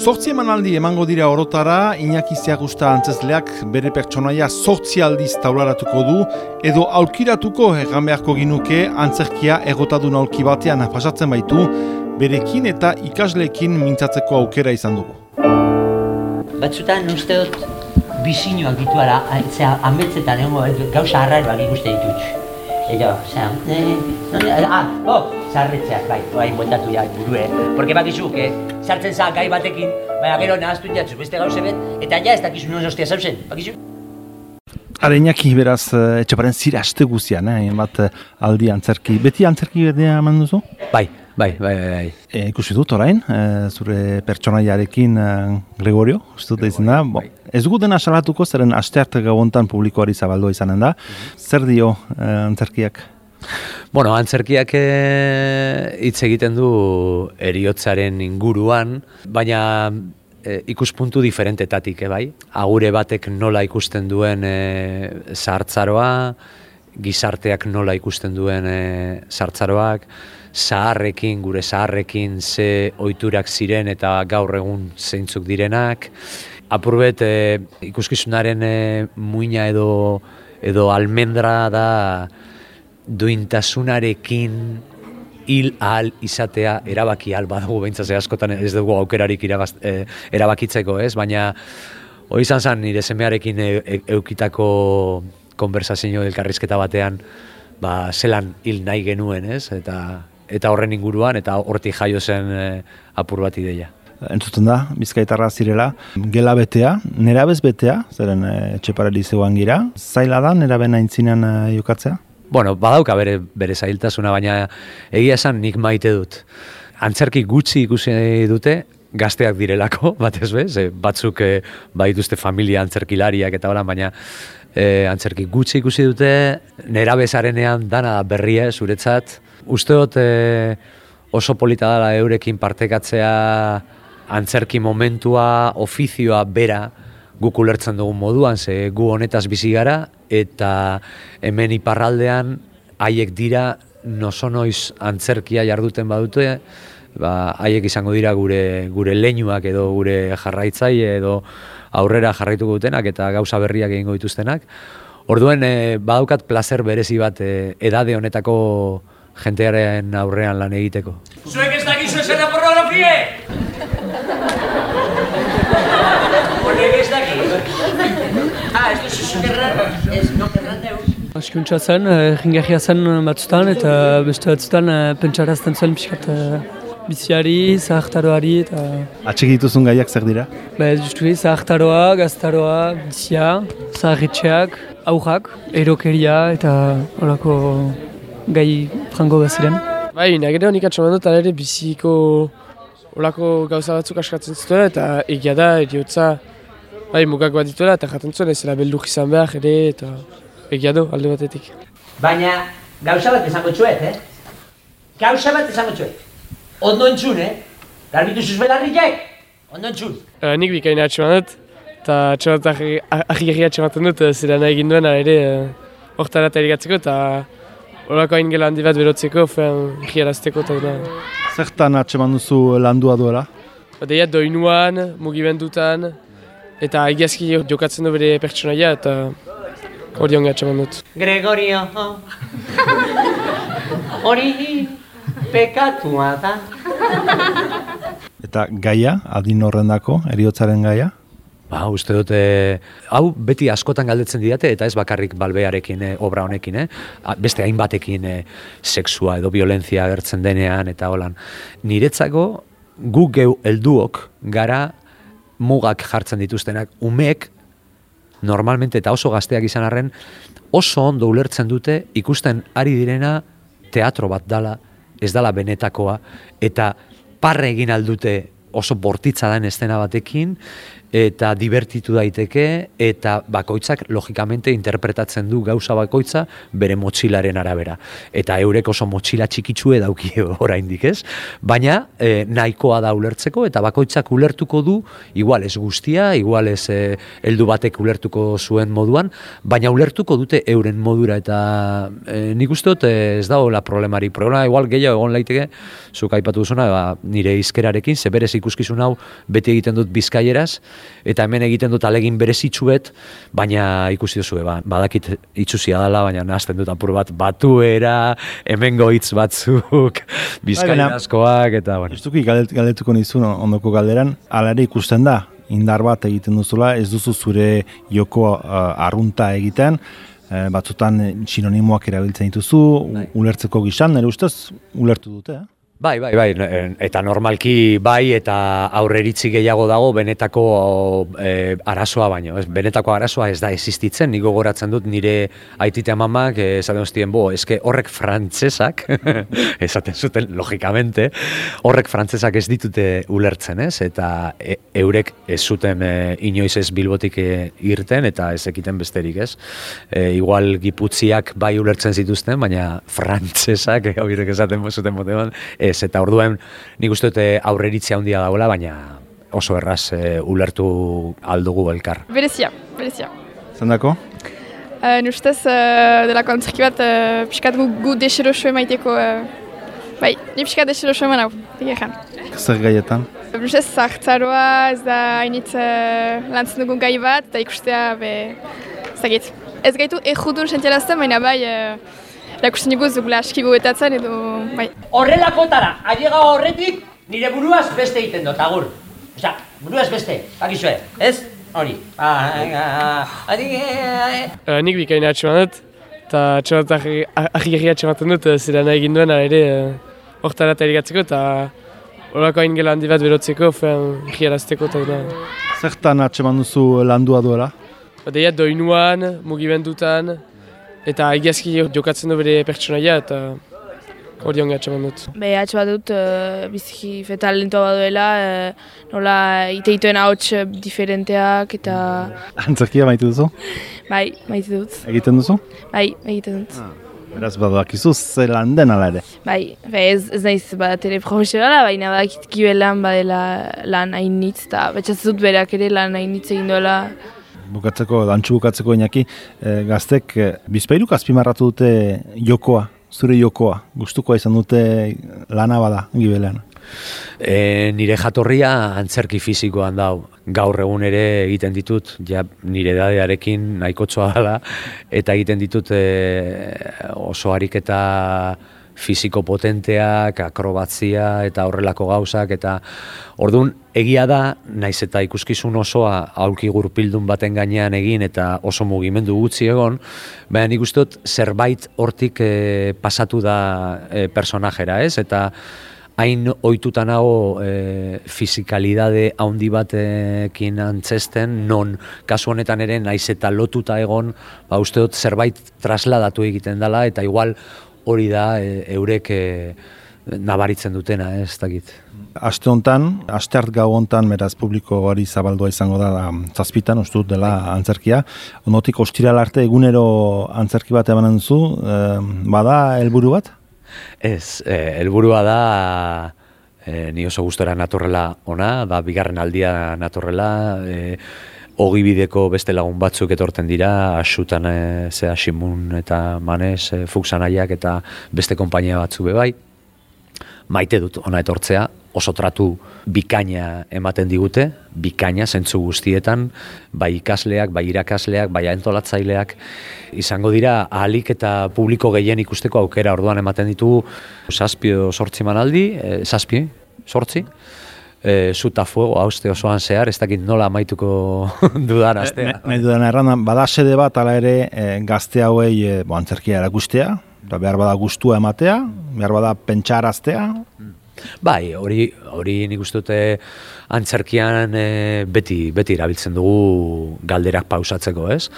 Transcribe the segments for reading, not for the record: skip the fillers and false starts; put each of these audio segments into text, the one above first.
Zortzi emanaldi emango dira orotara, Iñaki Ziagusta antzezleak bere pertsonaia 8 aldiz taularatuko du, edo aulkiratuko egan beharko ginuke antzerkia egotadun aulki batean pasatzen baitu, berekin eta ikasleekin mintzatzeko aukera izan dugu. Batzutan uste dut bizinoak dituala, ametzetan gauza harraroak ikusten ditut. Zarretzeak, bai, montatu ja burue. Porque bakizu, sartzen za gai batekin, baina gero nahaztu jatzu beste gauze bet, eta ja ez dakizu non ostia zauzen, bakizu? Ara Iñaki, beraz, etxeparen zira aste guzian, bat aldi antzerki. Beti antzerki berdea eman duzu? Bai. Ikusi dut orain, zure pertsonaiarekin Gregorio, uste dut izan da. Ez dugu dena salatuko, zeren astearte gabontan publikoari zabaldua izanen da. Zer dio antzerkiak? Bueno, antzerkiak hitz egiten du heriotzaren inguruan, baina ikuspuntu diferentetatik, bai? Agure batek nola ikusten duen zahartzaroa, gizarteak nola ikusten duen zahartzaroak, gure zaharrekin ze ohiturak ziren eta gaur egun zeintzuk direnak. Apurbet ikuskizunaren muina edo almendra da duintasunarekin hil ahal izatea erabaki ahal badago, behintzat askotan ez dugu aukerarik erabakitzeko, ez? Baina hori izan zen nire semearekin eukitako konversazio elkarrizketa batean zelan hil nahi genuen, ez? Eta horren inguruan, eta hortik jaio zen apur bat ideia. Entzuten da, bizkaitarra zirela, gela betea, nerabez betea, zeren etxepareli zeuan gira, zaila da neraben aintzinean jokatzea? Bueno, badauka bere zailtasuna, baina egia esan nik maite dut. Antzerki gutxi ikusi dute, gazteak direlako, batez bez, batzuk badituzte familia antzerkilariak eta hola, baina antzerki gutxi ikusi dute, nerabezarenean dana berria zuretzat. Uste dut oso polita dela eurekin partekatzea antzerki momentua, ofizioa bera guk ulertzen dugun moduan, ze gu honetaz bizi gara, eta hemen iparraldean haiek dira nozonoiz antzerkia jarduten badute, haiek izango dira gure leinuak edo gure jarraitzaile edo aurrera jarraituko dutenak eta gauza berriak egingo dituztenak. Orduen badaukat plazer berezi bat edade honetako jentearen aurrean lan egiteko. Zuek ez dakizu esena pornografie! Horrek ez daki? Ez duzu zukerran, ez nokerran deuz. Askuntza zen, jingarria zen batzutan eta beste batzutan pentsarazten zuen pixkat biziari, zahartaroari eta... Atxik dituzun gaiak zer dira? Justu zahartaroa, gaztaroa, bizia, zaharretxeak, aurrak, erokeria eta horako gai frango baziren. Bai, nagere honik atxaman dut, ere biziko olako gauza batzuk askatzen zituela eta egia da, eriotza mugak bat dituela eta jaten zuen ezela belduk izan behar ere eta egia du alde batetik. Baina gauza bat esango txuet, Gauza bat esango txuet. Ondo entzun, Garbitu zuzbelarriak, ondo entzun. Nik bikaina atxaman dut eta ahigerria atxamaten dut zera nahi egin duena ere hortara eta erigatzeko eta horako hain gela handi bat berotzeko, egiarazteko eta dira. Zertan atxeman duzu landua duela? Deia doinuan, mugimendutan, eta egiazki jokatzen du bere pertsonaia eta hori onge atxeman dut. Gregorio, hori pekatua da. Eta gaia, adin horrendako, heriotzaren gaia? Uste dut, hau beti askotan galdetzen didate, eta ez bakarrik balbearekin, obra honekin, beste hainbatekin sexua edo violentzia agertzen denean, eta holan. Niretzako, guk geu helduok gara mugak jartzen dituztenak, umeek, normalmente eta oso gazteak izan arren, oso ondo ulertzen dute ikusten ari direna teatro bat dala, ez dala benetakoa, eta parre egin aldute oso bortitza den estena batekin, eta divertitu daiteke, eta bakoitzak logikamente interpretatzen du gauza bakoitza bere motxilaren arabera. Eta eurek oso motxila txikitsue dauki oraindik, ez? Baina nahikoa da ulertzeko, eta bakoitzak ulertuko du, igual ez guztia, igual ez heldu batek ulertuko zuen moduan, baina ulertuko dute euren modura, eta nik uste dut ez dagoela problemari. Problema igual gehiago egon laiteke, zuk aipatu duzuna, nire hizkerarekin, ze berez ikuskizun hau beti egiten dut bizkaieraz, eta hemen egiten dut alegin berezitsuet, baina ikusi duzu, badakit itxusia dela, baina nahazten dut apur bat batuera, hemengo hitz batzuk, bizkairazkoak, eta bueno. Justuki galdetuko nizun ondoko galderan, hala ere ikusten da, indar bat egiten duzula, ez duzu zure joko arrunta egiten, batzutan sinonimoak erabiltzen dituzu, ulertzeko gizan, nire ustez, ulertu dute, Bai, eta normalki bai, eta aurreritzi gehiago dago benetako arazoa baino. Benetako arazoa ez da existitzen, nik gogoratzen dut nire aitite amamak esaten hostien, eske horrek frantsesak, esaten zuten logikamente, horrek frantsesak ez ditute ulertzen, ez? Eta eurek ez zuten inoiz ez Bilbotik irten, eta ez ekiten besterik, ez? Igual giputziak bai ulertzen zituzten, baina frantsesak, haurek esaten zuten motean, ez, eta orduen nik uste dute aurreritzia handia dagoela, baina oso erraz ulertu aldugu elkar. Berezia. Zendako? Nustez, delako antzerki bat, pixkat gu deseroso emaiteko, bai, ni pixkat deseroso eman hau, egeran. Zer gaietan? Nustez, zahartzaroa, ez da hainitz lantzen dugun gai bat, eta ikustea, zagit. Ez gaitu ejudun sentialazten, baina bai, erakusten dugu zugula aski goetatzen edo, bai. Horrelakotara, ailega horretik, nire buruaz beste egiten dut, agur. Osa, buruaz beste, bakizue, ez? Hori. Nik bikaina atxeman dut, eta ahigirri atxematen dut, zera nahi egin duen, ere hortara eta erigatzeko, eta horako hain gela handi bat berotzeko, egiarazteko eta dira. Zertan atxeman duzu landua duela? Deia doinuan, mugimendutan, eta egiazki jokatzen du bere pertsonaia, eta hori onge atxeman dut. Atxeman dut, biziki talentoa baduela, nola iteituen ahots diferenteak, eta... Antzerkia maite duzu? Bai, maite dut. Egiten duzu? Bai, egiten dut. Beraz, badakizu zelan den ala ere? Bai, ez naiz teleprofesionala, baina badakit kibelan badela lan hainitz, eta betxatzen dut berak ere lan hainitz egin duela. Dantxu bukatzeko Iñaki, gaztek bizpairuk azpimarratu dute jokoa, zure jokoa, gustukoa izan dute lana bada, gibelean. Nire jatorria antzerki fisikoan dau. Gaur egun ere egiten ditut, nire edadearekin nahikotxoa dela, eta egiten ditut oso ariketa fisiko potenteak, akrobatzia eta horrelako gauzak, eta orduan egia da, naiz eta ikuskizun osoa aulki gurpildun baten gainean egin eta oso mugimendu gutxi egon, baina nik uste dut zerbait hortik pasatu da personajera, ez? Eta hain ohituta nago fisikalidade handi batekin antzesten, non kasu honetan ere naiz eta lotuta egon, uste dut zerbait trasladatu egiten dela, eta igual hori da eurek nabaritzen dutena, ez dakit. Aste honetan, asteart gau honetan, beraz publiko hori zabaldua izango da zazpitan, uste dut dela antzerkia. Ondotik ostiral arte egunero antzerki bat emanen duzu, bada helburu bat? Ez, helburua da, ni oso gustora natorrela ona, da bigarren aldia natorrela, ogibideko beste lagun batzuk etorten dira, Asutan Simun eta Manes, Fuxanaiak eta beste konpainia batzuk bebai. Maite dut ona etortzea, oso tratu bikaina ematen digute, bikaina zentzu guztietan, bai ikasleak, bai irakasleak, bai antolatzaileak, izango dira ahalik eta publiko gehien ikusteko aukera, orduan ematen ditugu 7-8 emanaldi, 7-8, Zuta fuego, hauste osoan zehar, ez dakit nola amaituko dudan astea. Nahi dudan errandan, bada sede bat ala ere gazte hauei antzerkia erakustea, behar bada gustua ematea, behar bada pentsaraztea. Bai, hori nik uste dute antzerkian beti erabiltzen dugu galderak pausatzeko, ez?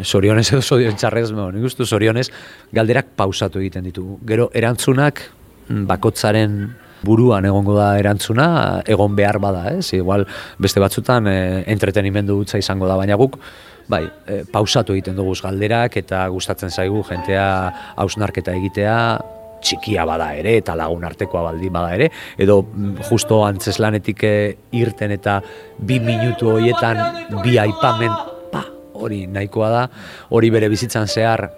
Zorionez edo zorion txarrez, nik uste zorionez galderak pausatu egiten ditugu. Gero erantzunak bakotzaren buruan egongo da erantzuna, egon behar bada, ez? Igual beste batzutan entretenimendu hutsa izango da, baina guk bai, pausatu egiten dugu galderak eta gustatzen zaigu jentea hausnarketa egitea, txikia bada ere eta lagun artekoa baldin bada ere, edo justo antzeslanetik irten eta 2 minutu horietan 2 aipamen, hori nahikoa da, hori bere bizitzan zehar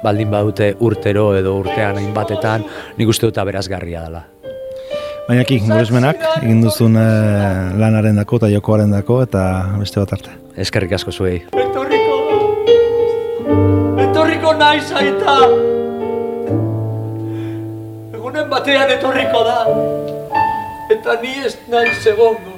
baldin badute urtero edo urtean hainbatetan, nik uste dut aberazgarria dela. Baina Goresmenak egin duzun lanaren dako eta jokoaren dako eta beste bat arte. Eskerrik asko zuei. Etorriko naiz aita! Egunen batean etorriko da, eta ni ez naiz egongo.